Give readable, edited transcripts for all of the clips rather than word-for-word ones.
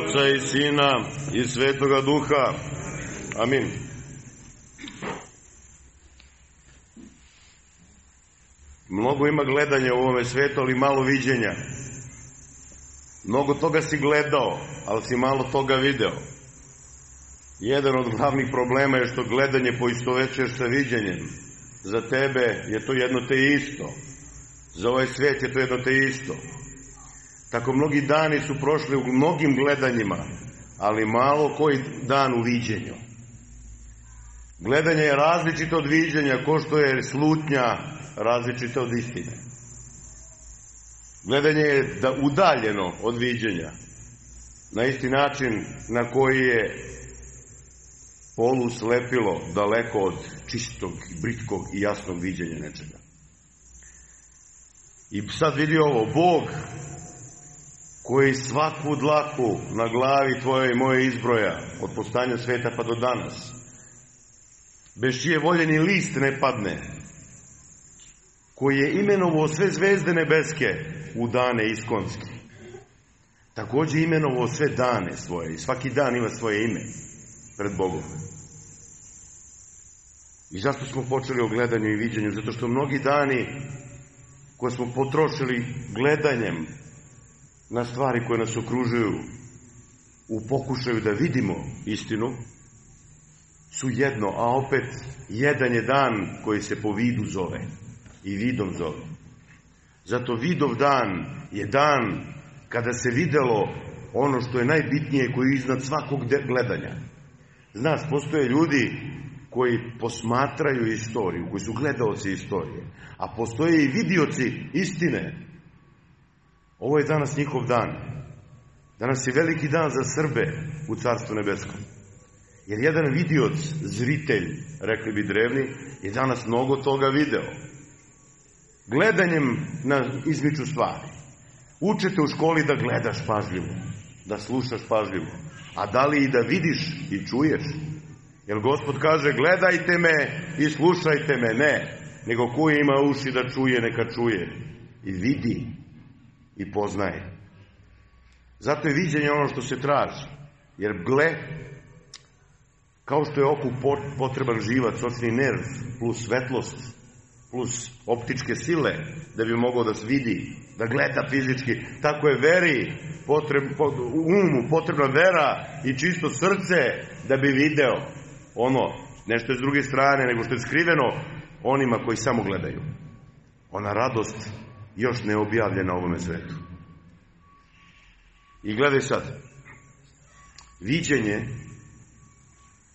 Oca i Sina i Svetoga Duha. Amin. Mnogo ima gledanja u ovome svetu, ali malo viđenja. Mnogo toga si gledao, ali si malo toga video. Jedan od glavnih problema je što gledanje poistovećuješ sa viđenjem. Za tebe je to jedno te isto. Za ovaj svet je to jedno te isto. Tako mnogi dani su prošli u mnogim gledanjima, ali malo koji dan u viđenju. Gledanje je različito od viđenja, ko što je slutnja različito od istine. Gledanje je udaljeno od viđenja, na isti način na koji je polu slepilo daleko od čistog, britkog i jasnog viđenja nečega. I sad vidi ovo, Bog koji svaku dlaku na glavi tvoje i moje izbroja od postanja sveta pa do danas, bez čije volje ni list ne padne, koji je imenovao sve zvezde nebeske u dane iskonske, također imenovao sve dane svoje i svaki dan ima svoje ime pred Bogom. I zašto smo počeli o gledanju i viđenju? Zato što mnogi dani koje smo potrošili gledanjem na stvari koje nas okružuju u pokušaju da vidimo istinu su jedno, a opet jedan je dan koji se po vidu zove i vidom zove. Zato vidov dan je dan kada se videlo ono što je najbitnije, koji je iznad svakog gledanja. Znaš, postoje ljudi koji posmatraju istoriju, koji su gledaoci istorije, a postoje i vidioci istine. Ovo je danas njihov dan. Danas je veliki dan za Srbe u Carstvu nebeskom. Jer jedan vidioc, zritelj, rekli bi drevni, je danas mnogo toga video. Gledanjem izmiču stvari. Učete u školi da gledaš pažljivo, da slušaš pažljivo. A da li i da vidiš i čuješ? Jer Gospod kaže, gledajte me i slušajte me. Ne, nego ko ima uši da čuje, neka čuje. I vidi i poznaje. Zato je viđenje ono što se traži. Jer gle, kao što je oku potreban živac, očni nerv, plus svetlost, plus optičke sile, da bi mogao da se vidi, da gleda fizički, tako je veri, umu potrebna vera i čisto srce da bi video ono, nešto je s druge strane, nego što je skriveno onima koji samo gledaju. Ona radost još ne objavljena ovome svetu. I gledaj sad, viđenje,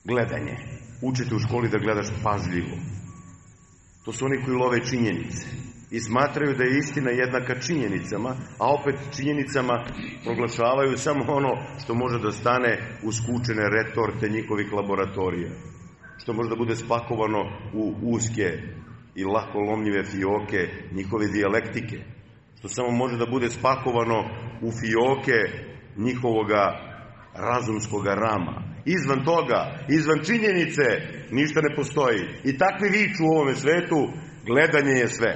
gledanje. Učite u školi da gledaš pažljivo. To su oni koji love činjenice i smatraju da je istina jednaka činjenicama, a opet činjenicama proglašavaju samo ono što može da stane u skučene retorte njihovih laboratorija, što može da bude spakovano u uske i lako lomljive fioke njihove dijalektike, što samo može da bude spakovano u fioke njihovoga razumskoga rama. Izvan toga, izvan činjenice, ništa ne postoji. I takvi viču u ovome svetu, gledanje je sve.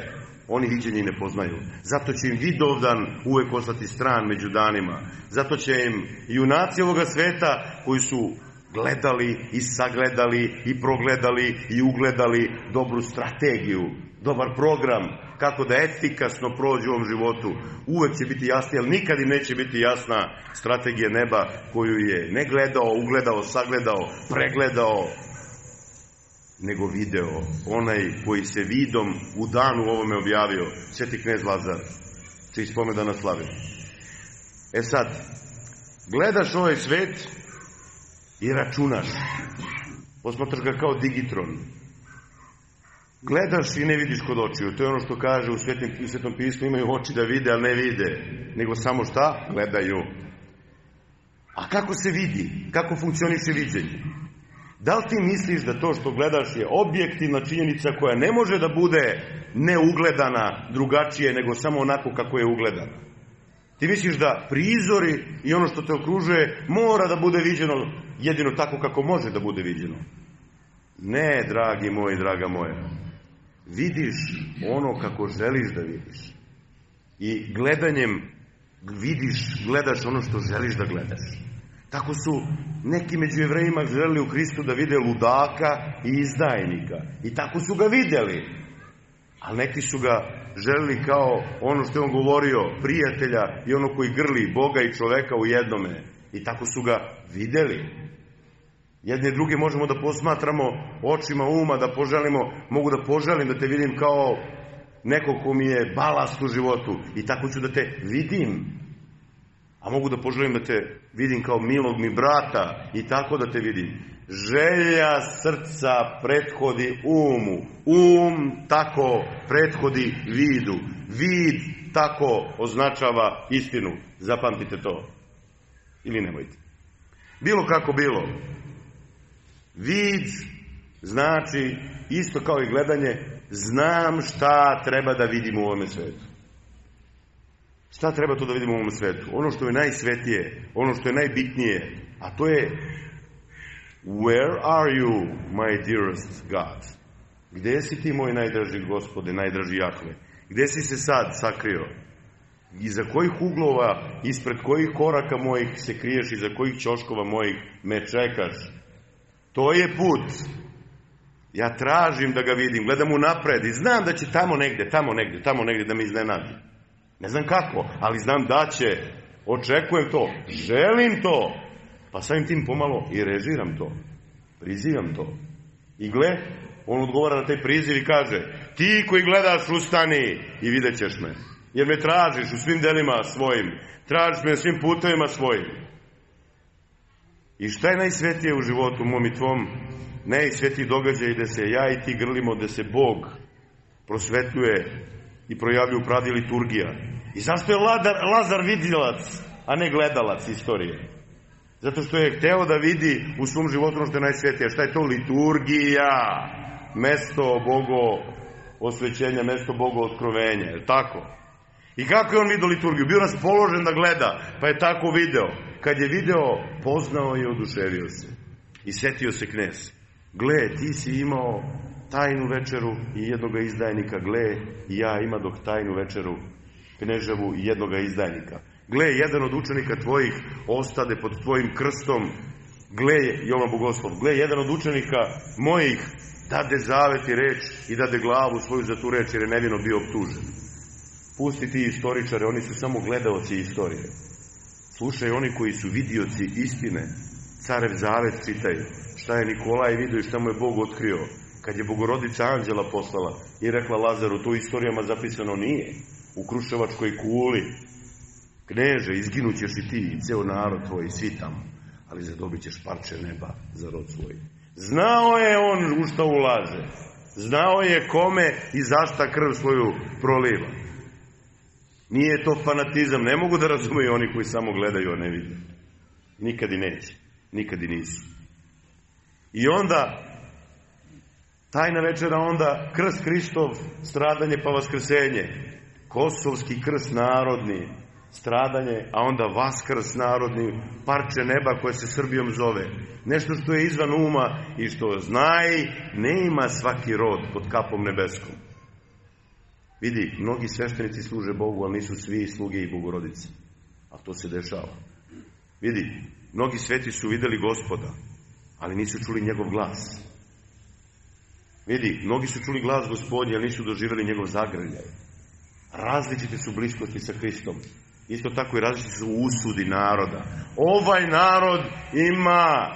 Oni viđenje ne poznaju. Zato će im vidovdan uvek ostati stran među danima. Zato će im junaci ovoga sveta koji su gledali i sagledali i progledali i ugledali dobru strategiju, dobar program, kako da efikasno prođu u ovom životu, uvek će biti jasni, ali nikad im neće biti jasna strategija neba koju je ne gledao, ugledao, sagledao, pregledao, nego video, onaj koji se vidom u danu ovome objavio, Sveti knez Lazar, čiji spomedan slavi. E sad, gledaš ovaj svet i računaš, posmatraš ga kao digitron. Gledaš i ne vidiš kod očiju. To je ono što kaže u Svetom pismu, imaju oči da vide, ali ne vide, nego samo šta? Gledaju. A kako se vidi? Kako funkcioniše viđenje? Da li ti misliš da to što gledaš je objektivna činjenica koja ne može da bude neugledana drugačije nego samo onako kako je ugledana? Ti misliš da prizori i ono što te okružuje mora da bude viđeno jedino tako kako može da bude viđeno? Ne, dragi moj, draga moja. Vidiš ono kako želiš da vidiš. I gledanjem gledaš ono što želiš da gledaš. Tako su neki među Jevrejima želeli u Hristu da vide ludaka i izdajnika. I tako su ga vidjeli. Ali neki su ga želeli kao ono što je on govorio, prijatelja i ono koji grli Boga i čoveka u jednome. I tako su ga vidjeli. Jedne i druge možemo da posmatramo očima uma, da poželimo, mogu da poželim da te vidim kao neko ko mi je balast u životu. I tako ću da te vidim. A mogu da poželim da te vidim kao milog mi brata i tako da te vidim. Želja srca prethodi umu. Tako prethodi vidu. Vid tako označava istinu. Zapamtite to. Ili nemojte. Bilo kako bilo. Vid znači, isto kao i gledanje, znam šta treba da vidim u ovome svetu. Šta treba to da vidimo u ovom svetu? Ono što je najsvetije, ono što je najbitnije, a to je Where are you, my dearest God? Gde si ti, moj najdraži Gospode, najdraži Jahve? Gde si se sad sakrio? Iza kojih uglova, ispred kojih koraka mojih se kriješ, iza kojih ćoškova mojih me čekaš? To je put. Ja tražim da ga vidim, gledam unapred i znam da će tamo negde da me iznenadi. Ne znam kako, ali znam da će. Očekujem to. Želim to. Pa samim tim pomalo i režiram to. Prizivam to. I gle, on odgovara na taj priziv i kaže, ti koji gledaš, ustani i vidjet ćeš me. Jer me tražiš u svim delima svojim. Tražiš me na svim putevima svojim. I šta je najsvetije u životu mom i tvom? Najsvetiji događaj gde se ja i ti grlimo, gde se Bog prosvetljuje i projavljuje u pravdi liturgija. I zašto je Lazar vidilac, a ne gledalac istorije? Zato što je hteo da vidi u svom životu ono što je najsvetije. Šta je to? Liturgija. Mesto Bogo osvećenja, mesto Bogo otkrovenja. Je tako? I kako je on vidio liturgiju? Bio raspoložen da gleda, pa je tako video. Kad je video, poznao i oduševio se. I setio se knez. Gle, ti si imao tajnu večeru i jednoga izdajnika. Gle, i ja imadok tajnu večeru kneževu i jednoga izdajnika. Gle, jedan od učenika tvojih ostade pod tvojim krstom. Gle, Jovan Bogoslov, gle, jedan od učenika mojih dade zavet i reč i dade glavu svoju za tu reč jer je nevino bio optužen. Pusti ti istoričare, oni su samo gledaoci istorije. Slušaj oni koji su vidioci istine. Carev zavet čitaju. Šta je Nikolaj vidio i šta mu je Bog otkrio. Kad je Bogorodica anđela poslala i rekla Lazaru, to u istorijama zapisano nije. U Kruševačkoj kuli. Kneže, izginućeš i ti i ceo narod tvoj, svi tamo. Ali zadobit ćeš parče neba za rod svoj. Znao je on u šta ulaže. Znao je kome i zašta krv svoju proliva. Nije to fanatizam. Ne mogu da razumeju oni koji samo gledaju, a ne vide. Nikad i neće. Nikad i nisu. I onda, tajna večera, onda krst Hristov, stradanje pa vaskrsenje. Kosovski krst narodni, stradanje, a onda vaskrs narodni, parče neba koje se Srbijom zove. Nešto što je izvan uma i što znaj, ne ima svaki rod pod kapom nebeskom. Vidi, mnogi sveštenici služe Bogu, ali nisu svi sluge i Bogorodice. A to se dešava. Vidi, mnogi sveti su videli Gospoda, ali nisu čuli njegov glas. Vidi, mnogi su čuli glas Gospodnji, ali nisu doživjeli njegov zagrljaj. Različite su bliskosti sa Hristom. Isto tako i različite su usudi naroda. Ovaj narod ima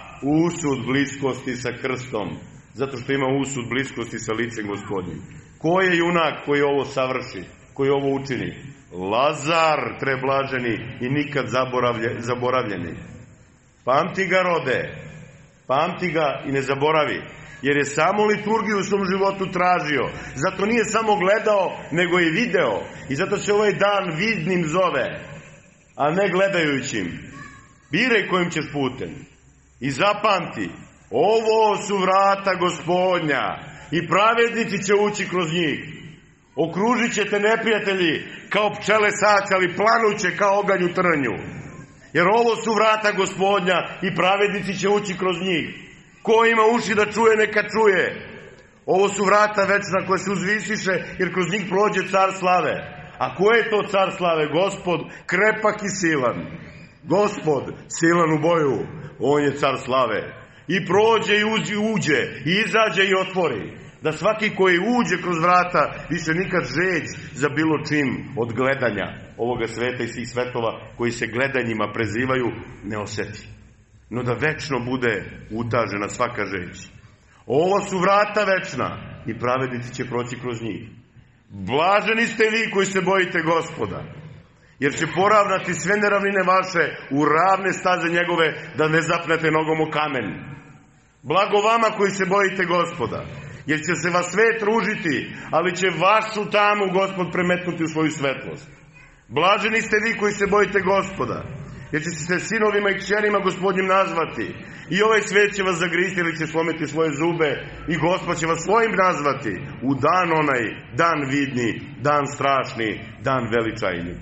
usud bliskosti sa krstom, zato što ima usud bliskosti sa licem Gospodnjim. Ko je junak koji ovo savrši, koji ovo učini? Lazar, preblaženi i nikad zaboravljeni. Pamti ga, rode, pamti ga i ne zaboravi, jer je samo liturgiju u svom životu tražio. Zato nije samo gledao, nego i video. I zato se ovaj dan vidnim zove, a ne gledajućim. Biraj kojim ćeš putem. I zapamti, ovo su vrata Gospodnja i pravednici će ući kroz njih. Okružit će te neprijatelji kao pčele saća, ali planuće kao oganj u trnju. Jer ovo su vrata Gospodnja i pravednici će ući kroz njih. Ko ima uši da čuje, neka čuje. Ovo su vrata večna koje se uzvisiše, jer kroz njih prođe car slave. A ko je to car slave? Gospod, krepak i silan. Gospod, silan u boju, on je car slave. I prođe i uđe, i izađe i otvori. Da svaki koji uđe kroz vrata više nikad žeđ za bilo čim od gledanja ovoga sveta i svih svetova koji se gledanjima prezivaju ne osjeti. No da večno bude utažena svaka žeđ. Ovo su vrata večna i pravednici će proći kroz njih. Blaženi ste vi koji se bojite Gospoda, jer će poravnati sve neravnine vaše u ravne staze njegove, da ne zapnete nogom u kamen. Blago vama koji se bojite Gospoda, jer će se vas svet ružiti, ali će vašu tamu Gospod premetnuti u svoju svetlost. Blaženi ste vi koji se bojite Gospoda, jer će se sinovima i kćerima Gospodnjim nazvati. I ovaj svet će vas zagristi ili će slomiti svoje zube, i Gospod će vas svojim nazvati u dan onaj, dan vidni, dan strašni, dan veličajni.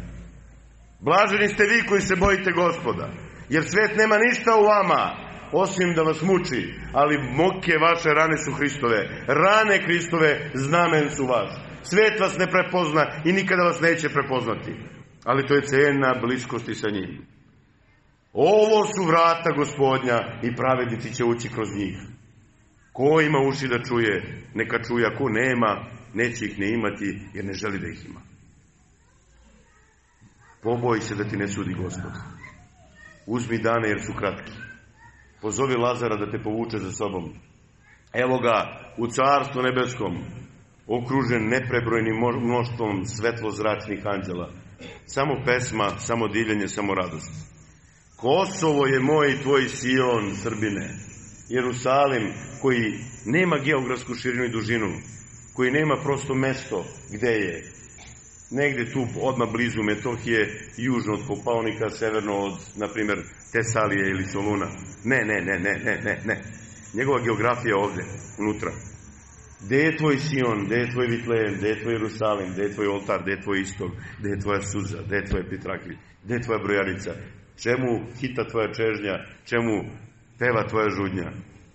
Blaženi ste vi koji se bojite Gospoda, jer svet nema ništa u vama, osim da vas muči, ali muke vaše rane su Hristove. Rane Hristove znamen su vaš. Svet vas ne prepozna i nikada vas neće prepoznati. Ali to je cena bliskosti sa njim. Ovo su vrata Gospodnja i pravednici će ući kroz njih. Ko ima uši da čuje, neka čuje, a ko nema, neće ih ne imati, jer ne želi da ih ima. Poboj se da ti ne sudi Gospod. Uzmi dane jer su kratki. Pozovi Lazara da te povuče za sobom. Evo ga u carstvu nebeskom, okružen neprebrojnim mnoštvom svetlozračnih anđela. Samo pesma, samo divljenje, samo radost. Kosovo je moj i tvoj Sion, Srbine. Jerusalim koji nema geografsku širinu i dužinu, koji nema prosto mesto gde je. Negde tu odmah blizu Metohije, južno od Kopaonika, severno od, na primjer, Tesalije ili Soluna. Ne. Njegova geografija je ovde, unutra. Gde je tvoj Sion, gde je tvoj Vitlejem, gde je tvoj Jerusalim, gde je tvoj oltar, gde je tvoj istok, gde je tvoja suza, gde je tvoje pitrakilj, gde je tvoja brojarica, čemu hita tvoja čežnja, čemu peva tvoja žudnja.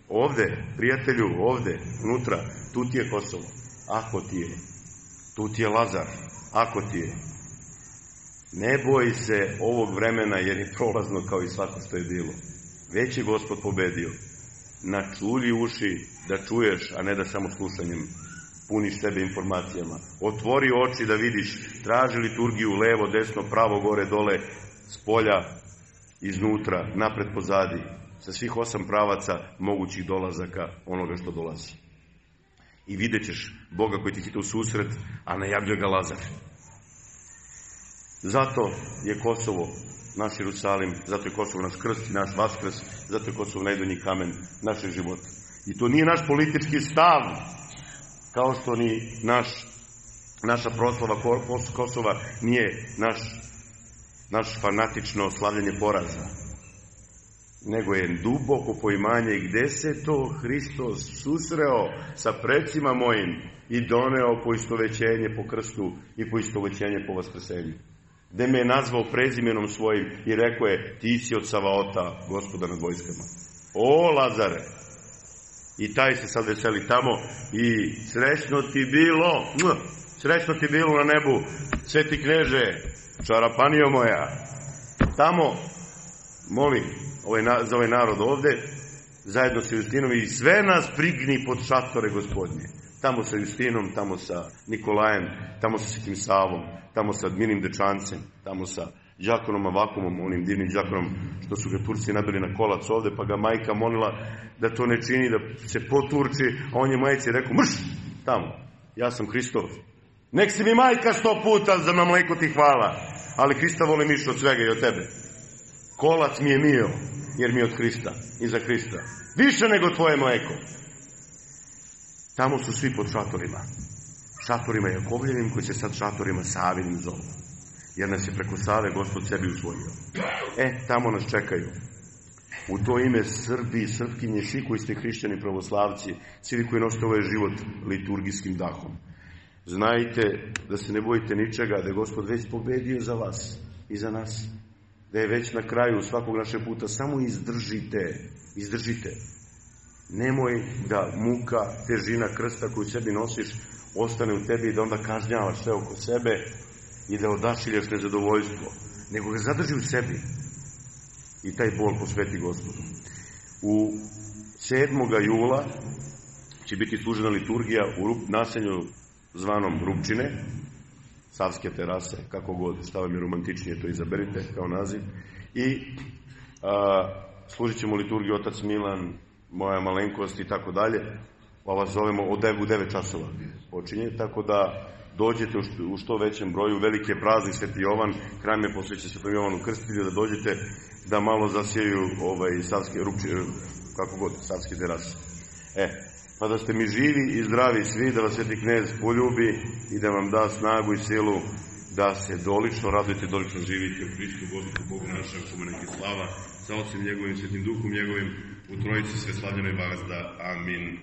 Ovde, prijatelju, ovde, unutra, tu ti je Kosovo, ako ti je. Tu ti je Lazar, ako ti je. Ne boj se ovog vremena, jer je prolazno kao i svako što je bilo. Već je Gospod pobedio. Načulji uši da čuješ, a ne da samo slušanjem puniš sebe informacijama. Otvori oči da vidiš, traži liturgiju levo, desno, pravo, gore, dole, spolja, iznutra, napred, pozadi, sa svih 8 pravaca mogućih dolazaka onoga što dolazi. I vidjet ćeš Boga koji ti hita u susret, a najavljuje ga Lazar. Zato je Kosovo naš Jerusalim, zato je Kosovo naš krst i naš vaskrs, zato je Kosovo najdonji kamen našeg života. I to nije naš politički stav, kao što ni naša proslava Kosova nije naš fanatično slavljanje poraza, nego je duboko poimanje gde se to Hristos susreo sa precima mojim i doneo poistovećenje po krstu i poistovećenje po vaskrsenju. Gde me je nazvao prezimenom svojim i rekao je, ti si od Savaota, Gospoda nad vojskama. O, Lazare! I taj se sad veseli tamo i srećno ti bilo na nebu, sveti kneže, čarapanio moja. Tamo, molim za ovaj narod ovde, zajedno sa Justinom, i sve nas prigni pod šatore Gospodnje. Tamo sa Justinom, tamo sa Nikolajem, tamo sa Svetim Savom, tamo sa Minim Dečancem, tamo sa đakonom Avakumom, onim divnim đakonom što su ga Turci nabili na kolac ovde, pa ga majka molila da to ne čini, da se poturči, a on je majci rekao, mrš, tamo, ja sam Hristov. Nek si mi majka 100 puta, za mleko ti hvala, ali Hrista volim više od svega i od tebe. Kolac mi je mio, jer mi je od Hrista i za Hrista. Više nego tvoje mleko. Tamo su svi pod šatorima. Šatorima Jakovljevim, koji će sad šatorima Savinim zovu. Jer nas je preko Save Gospod sebi usvojio. Tamo nas čekaju. U to ime Srbi i Srpkinje, svi koji ste hrišćani pravoslavci, svi koji nosite ovaj život liturgijskim dahom. Znajte da se ne bojite ničega, da je Gospod već pobedio za vas i za nas. Da je već na kraju svakog našeg puta. Samo izdržite. Nemoj da muka, težina krsta koju sebi nosiš ostane u tebi i da onda kažnjavaš sve oko sebe i da odašiljaš nezadovoljstvo. Nego ga zadrži u sebi. i taj bol posveti Gospodu. U 7. jula će biti služena liturgija u naselju zvanom Rupčine, Savske terase, kako god, šta vam je romantičnije, to izaberite kao naziv. I služit ćemo liturgiju otac Milan, moja malenkost i tako dalje. Pa vas zovemo u 9 časova počinje, tako da dođete u što većem broju. Veliki je praznik Sveti Jovan, hram je posvećen Svetom Jovanu Krstitelju, da dođete da malo zasjeju Savske Rupčine, kako god, Savske terase. Pa da ste mi živi i zdravi svi, da vas Sveti Knez poljubi i da vam da snagu i silu da se dolično radujete, dolično živite u Hristu Gospodu Bogu našem, kome neki slava, sa Otcem njegovim, Svetim Duhom njegovim, u Trojici sve slavljenoj vazda. Amin.